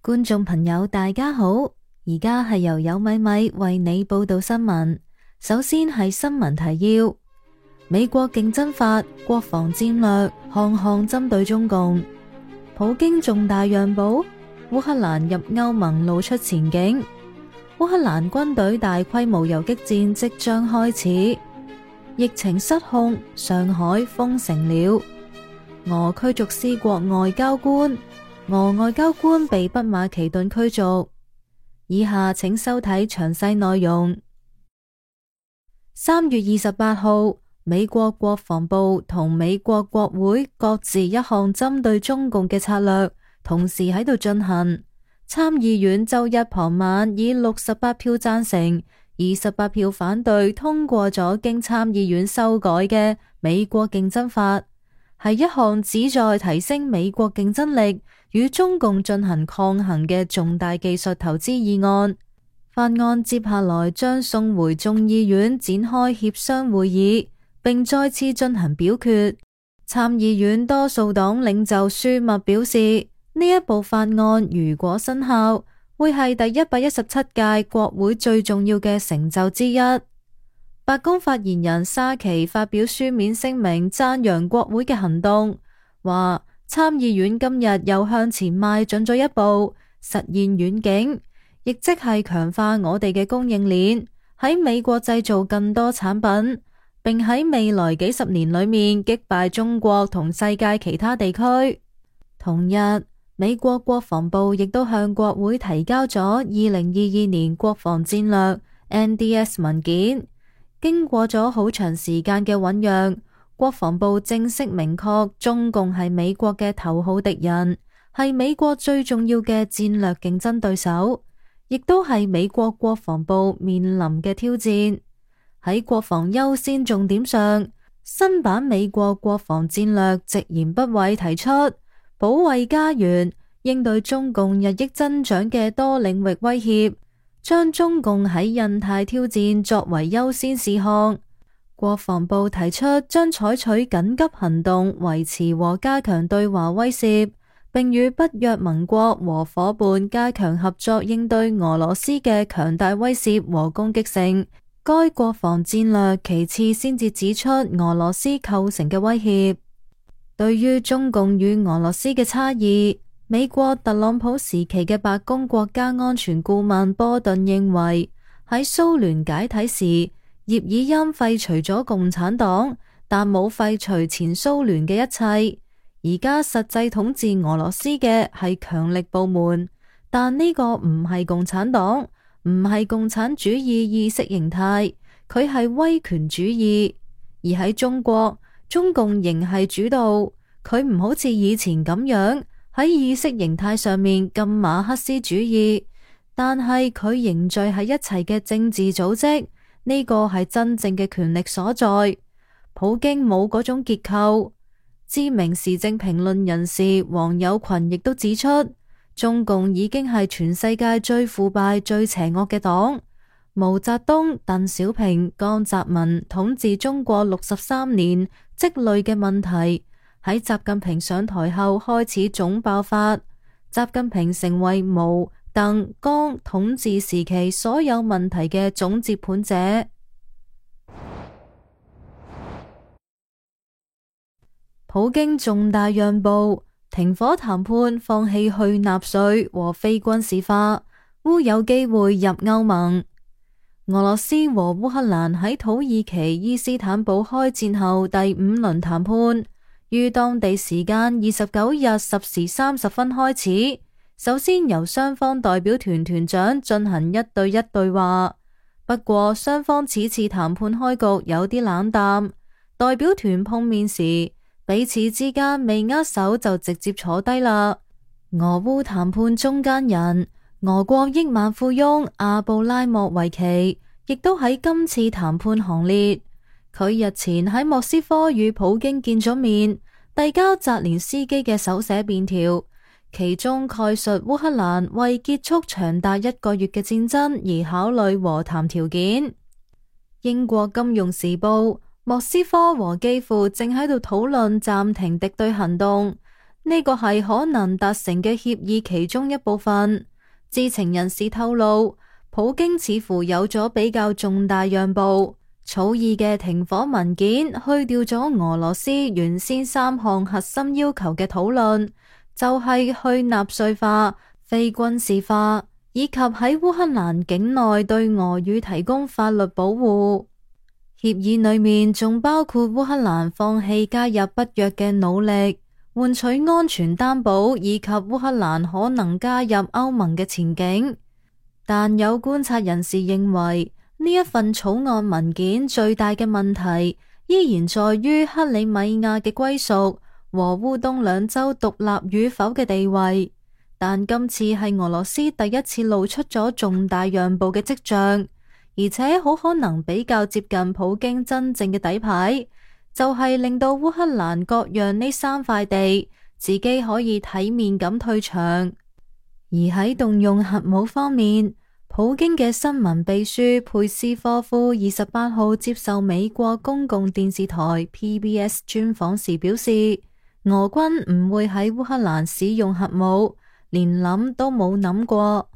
觀眾朋友大家好，而家係由有米米為你報道新聞。首先係新聞提要：美國競爭法國防戰略項項針對中共，普京重大讓步，烏克蘭入歐盟露出前景，烏克蘭軍隊大規模游擊戰即將開始，疫情失控，上海封城了，俄驅逐施國外交官，俄外交官被畢馬其頓驅逐。以下請收睇詳細內容。3月28號，美國國防部同美國國會各自一項針對中共嘅策略，同時喺度進行。參議院周一傍晚以68票贊成、28票反對通過咗經參議院修改嘅美國競爭法，係一項旨在提升美國競爭力與中共進行抗衡嘅重大技術投資議案。法案接下來將送回眾議院展開協商會議，並再次進行表決。參議院多數黨領袖舒默表示，呢一部法案如果生效，會係第117屆國會最重要嘅成就之一。白宮發言人沙奇發表書面聲明讚揚國會嘅行動，話參議院今日又向前邁進咗一步，實現遠景，亦即係強化我哋嘅供應鏈，喺美國製造更多產品，並喺未來幾十年裏面擊敗中國同世界其他地區。同日，美國國防部亦都向國會提交咗2022年國防戰略 NDS 文件。經過咗好長時間嘅醞釀，國防部正式明確中共係美國嘅頭號敵人，係美國最重要嘅戰略競爭對手，亦都係美國國防部面臨嘅挑戰。喺國防優先重點上，新版美國國防戰略直言不諱提出保衛家園，應對中共日益增長嘅多領域威脅，將中共喺印太挑戰作為優先事項。國防部提出將採取緊急行動，維持和加強對華威懾，並與北約盟國和夥伴加強合作，應對俄羅斯嘅強大威懾和攻擊性。該國防戰略其次先至指出俄羅斯構成嘅威脅。對於中共與俄羅斯嘅差異，美國特朗普時期嘅白宮國家安全顧問波頓認為，喺蘇聯解體時，葉爾欽廢除咗共產黨，但冇廢除前蘇聯嘅一切。而家實際統治俄羅斯嘅係強力部門，但呢個唔係共產黨，唔係共產主義意識形態，佢係威權主義。而喺中國，中共仍係主導，佢唔好似以前咁樣喺意識形態上面咁馬克思主義，但係佢凝聚喺一齊嘅政治組織，呢個係真正嘅權力所在。普京冇嗰種結構。知名時政評論人士黃友群亦都指出，中共已經係全世界最腐敗、最邪惡嘅黨。毛澤東、鄧小平、江澤民統治中國63年積累嘅問題，喺習近平上台後開始總爆發。習近平成為毛、鄧、江統治時期所有問題嘅總接盤者。普京重大讓步，停火談判，放棄去納粹和非軍事化，烏有機會入歐盟。俄羅斯和烏克蘭喺土耳其伊斯坦堡開戰後第5輪談判，於當地時間29日10時30分開始。首先由雙方代表團團長進行1對1對話，不過雙方此次談判開局有啲冷淡。代表團碰面時，彼此之間未握手就直接坐低啦。俄烏談判中間人，俄國億萬富翁阿布拉莫維奇亦都喺今次談判行列。佢日前喺莫斯科與普京見咗面，遞交澤連斯基嘅手寫便條，其中概述烏克蘭為結束長達1個月嘅戰爭而考慮和談條件。英國金融時報，莫斯科和基輔正喺度討論暫停敵對行動，呢個係可能達成嘅協議其中一部分。知情人士透露，普京似乎有咗比較重大讓步，草擬嘅停火文件去掉咗俄羅斯原先3項核心要求嘅討論，就係去納粹化、非軍事化，以及喺烏克蘭境內對俄語提供法律保護。協議裏面仲包括烏克蘭放棄加入北約嘅努力，換取安全擔保，以及烏克蘭可能加入歐盟嘅前景。但有觀察人士認為，呢一份草案文件最大嘅問題依然在於克里米亞嘅歸屬和烏東兩州獨立與否嘅地位。但今次係俄羅斯第一次露出咗重大讓步嘅跡象，而且好可能比較接近普京真正嘅底牌，就係令到烏克蘭割讓呢3塊地，自己可以體面咁退場。而喺動用核武方面，普京嘅新聞秘書佩斯科夫28號接受美國公共電視台 PBS 專訪時表示，俄軍唔會喺烏克蘭使用核武，連諗都冇諗過。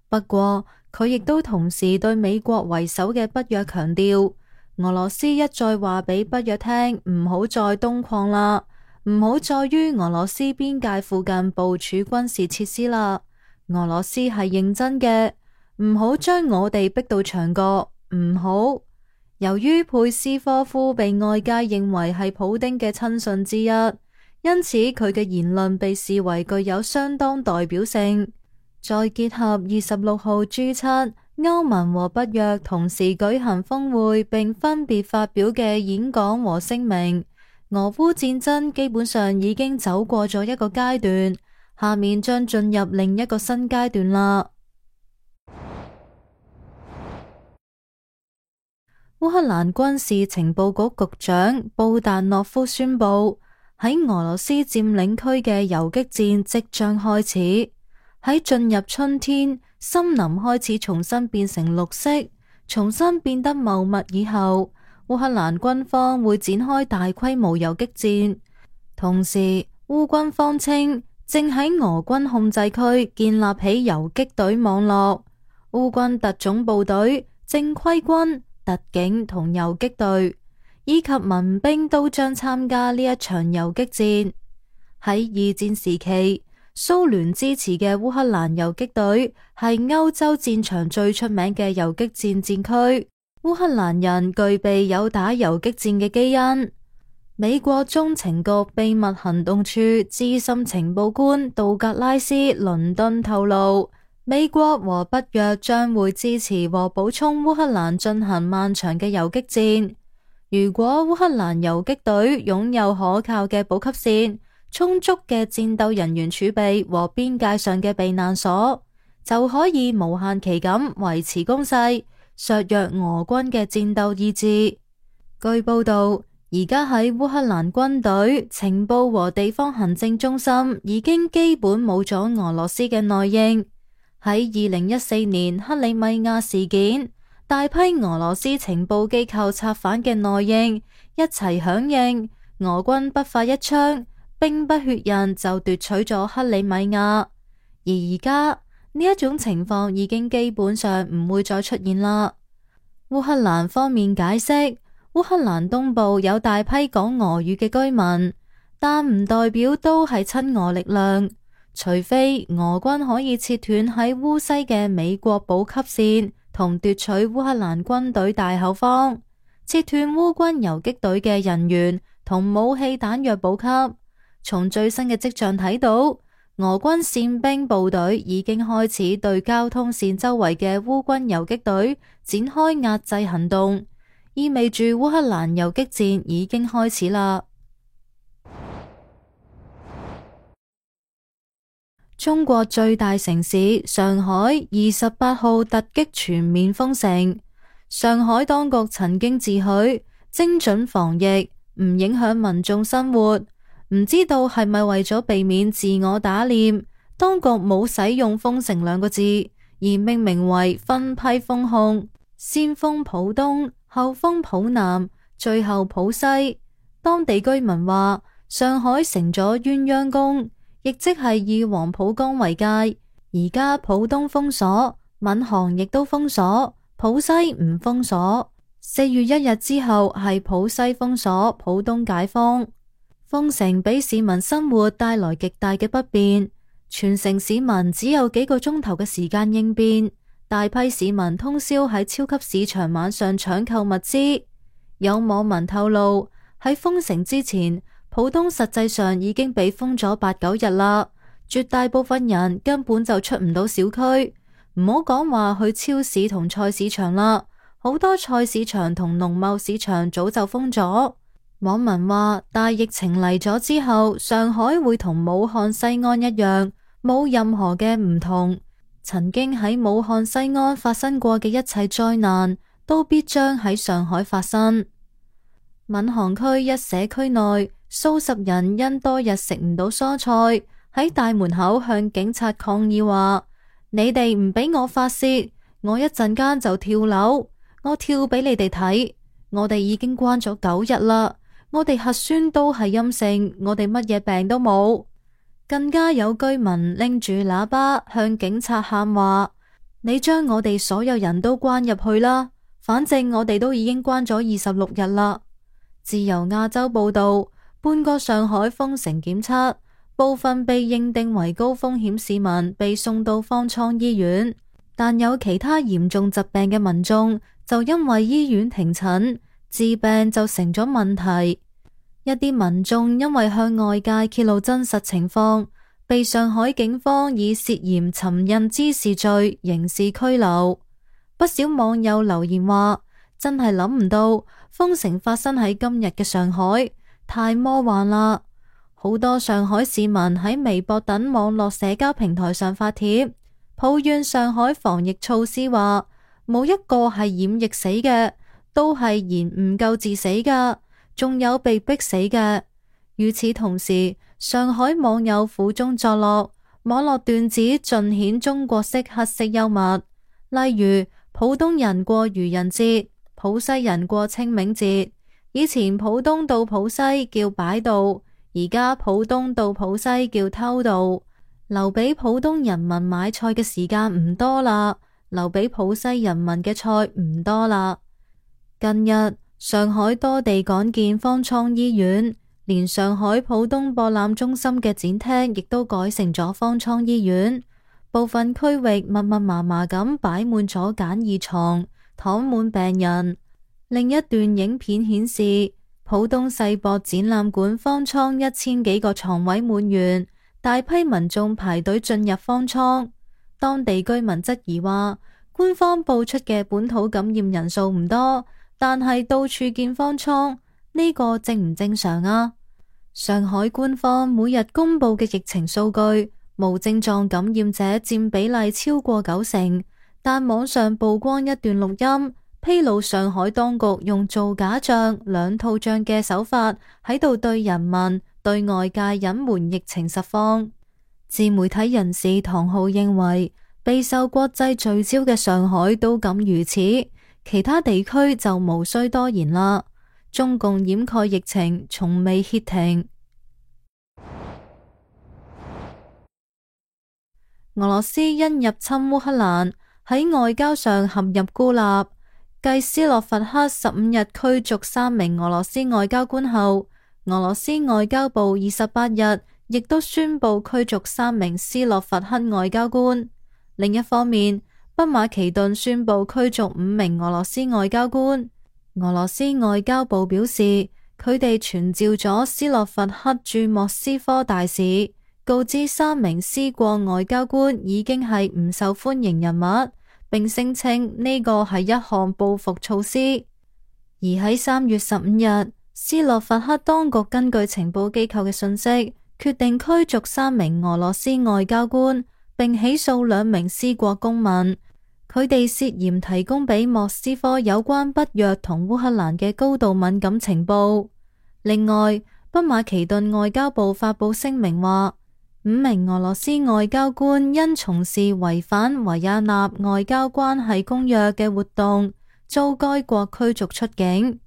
不過佢亦都同時對美國為首嘅北約強調，俄羅斯一再話俾北約聽唔好再東擴啦，唔好再於俄羅斯邊界附近部署軍事設施啦。俄羅斯係認真嘅，唔好將我哋逼到牆角，唔好。由於佩斯科夫被外界認為係普丁嘅親信之一，因此佢嘅言論被視為具有相當代表性。再結合26號 G7 歐盟和北約同時舉行峰會並分別發表嘅演講和聲明，俄烏戰爭基本上已經走過咗一個階段，下面將進入另一個新階段啦。烏克蘭軍事情報局局長布達諾夫宣布，喺俄羅斯佔領區嘅游擊戰即將開始。喺進入春天，森林開始重新變成綠色，重新變得茂密以後，烏克蘭軍方會展開大規模游擊戰。同時，烏軍方稱正喺俄軍控制區建立起游擊隊網絡，烏軍特種部隊、正規軍、特警同游擊隊以及民兵都將參加呢一場游擊戰。喺二戰時期，蘇聯支持嘅烏克蘭游擊隊係歐洲戰場最出名嘅游擊戰戰區。烏克蘭人具備有打游擊戰嘅基因。美國中情局秘密行動處資深情報官杜格拉斯·倫敦透露，美國和北約將會支持和補充烏克蘭進行漫長嘅游擊戰。如果烏克蘭游擊隊擁有可靠嘅補給線、充足嘅戰鬥人員儲備和邊界上嘅避難所，就可以無限期咁維持攻勢，削弱俄軍嘅戰鬥意志。據報道，而家喺烏克蘭軍隊、情報和地方行政中心已經基本冇咗俄羅斯嘅內應。喺2014年克里米亞事件，大批俄羅斯情報機構策反嘅內應一齊響應，俄軍不發一槍，兵不血刃就奪取咗克里米亞。而家呢一種情況已經基本上唔會再出現啦。烏克蘭方面解釋，烏克蘭東部有大批講俄語嘅居民，但唔代表都係親俄力量。除非俄軍可以切斷喺烏西嘅美國補給線，同奪取烏克蘭軍隊大後方，切斷烏軍游擊隊嘅人員同武器彈藥補給。從最新嘅跡象睇到，俄軍憲兵部隊已經開始對交通線周圍嘅烏軍游擊隊展開壓制行動，意味住烏克蘭游擊戰已經開始啦。中國最大城市上海28號突擊全面封城。上海當局曾經自詡精準防疫，唔影響民眾生活。唔知道係咪為咗避免自我打臉，當局冇使用封城兩個字，而命名為分批封控，先封浦東，後封浦南，最後浦西。當地居民話，上海成咗鴛鴦宮，亦即係以黃浦江為界。而家浦東封鎖，閔行亦都封鎖，浦西唔封鎖。4月1日之後係浦西封鎖，浦東解封。封城俾市民生活帶來極大嘅不便，全城市民只有幾個鐘頭嘅時間應變，大批市民通宵喺超級市場晚上搶購物資。有網民透露，喺封城之前，浦東實際上已經被封咗8、9日啦，絕大部分人根本就出唔到小區，唔好講話去超市同菜市場啦，好多菜市場同農貿市場早就封咗。網民話，大疫情嚟咗之後，上海會同武漢西安一樣，冇任何嘅唔同。曾經喺武漢西安發生過嘅一切災難，都必將喺上海發生。閔行區一社區內，數十人因多日食唔到蔬菜，喺大門口向警察抗議話：你哋唔俾我發洩，我一陣間就跳樓，我跳俾你哋睇。我哋已經關咗9日啦。我哋核酸都係陰性，我哋乜嘢病都冇。更加有居民拎住喇叭向警察喊話：你將我哋所有人都關入去啦，反正我哋都已經關咗26日啦。自由亞洲報道，半個上海封城檢測，部分被認定為高風險市民被送到方艙醫院，但有其他嚴重疾病嘅民眾就因為醫院停診，治病就成咗問題。一啲民眾因為向外界揭露真實情況，被上海警方以涉嫌尋釁滋事罪刑事拘留。不少網友留言話：真係諗唔到封城發生喺今日嘅上海，太魔幻啦！好多上海市民喺微博等網絡社交平台上發帖，抱怨上海防疫措施，話冇一個係染疫死嘅，都係延誤救治死㗎。仲有被逼死嘅。與此同時，上海網友苦中作樂，網絡段子盡顯中國式黑色幽默。例如，浦東人過愚人節，浦西人過清明節。以前浦東到浦西叫擺渡，而家浦東到浦西叫偷渡。留俾浦東人民買菜嘅時間唔多啦，留俾浦西人民嘅菜唔多啦。近日，上海多地改建方艙醫院，連上海浦東博覽中心嘅展廳亦都改成咗方艙醫院。部分區域密密麻麻咁擺滿咗簡易床，躺滿病人。另一段影片顯示，浦東世博展覽館方艙1000幾個床位滿員，大批民眾排隊進入方艙。當地居民質疑話，官方報出嘅本土感染人數唔多，但係到處見方艙，呢個正唔正常啊？上海官方每日公布嘅疫情數據，無症狀感染者佔比例超過90%，但網上曝光一段錄音，披露上海當局用造假賬、兩套賬嘅手法喺度對人民、對外界隱瞞疫情實況。自媒體人士唐浩認為，備受國際聚焦嘅上海都敢如此，其他地區就無需多言啦。中共掩蓋疫情從未歇停。俄羅斯因入侵烏克蘭喺外交上陷入孤立，繼斯洛伐克15日驅逐3名俄羅斯外交官後，俄羅斯外交部28日亦都宣布驅逐3名斯洛伐克外交官。另一方面，北馬其頓宣布驅逐5名俄羅斯外交官。俄羅斯外交部表示，佢哋傳召咗斯洛伐克駐莫斯科大使，告知3名斯國外交官已經係唔受歡迎人物，並聲稱呢個係一項報復措施。而喺3月15日，斯洛伐克當局根據情報機構嘅信息，決定驅逐3名俄羅斯外交官，並起訴2名斯國公民。佢哋涉嫌提供俾莫斯科有關北約同烏克蘭嘅高度敏感情報。另外，北馬其頓外交部發佈聲明話，5名俄羅斯外交官因從事違反維也納外交關係公約嘅活動，遭該國驅逐出境。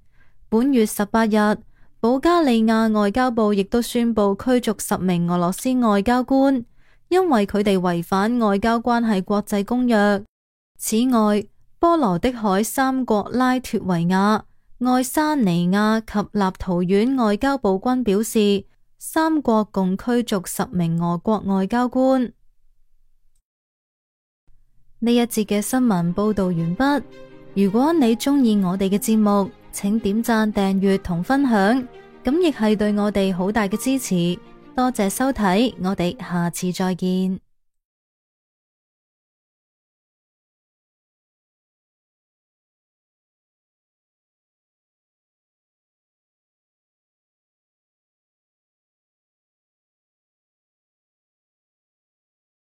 本月18日，保加利亞外交部亦都宣布驅逐10名俄羅斯外交官，因為佢哋違反外交關係國際公約。此外，波羅的海三國拉脫維亞、愛沙尼亞及立陶宛外交部均表示，三國共驅逐10名俄國外交官。呢一節嘅新聞報道完畢。如果你鍾意我哋嘅節目，請點讚、訂閱同分享，咁亦係對我哋好大嘅支持。多謝收睇，我哋下次再見。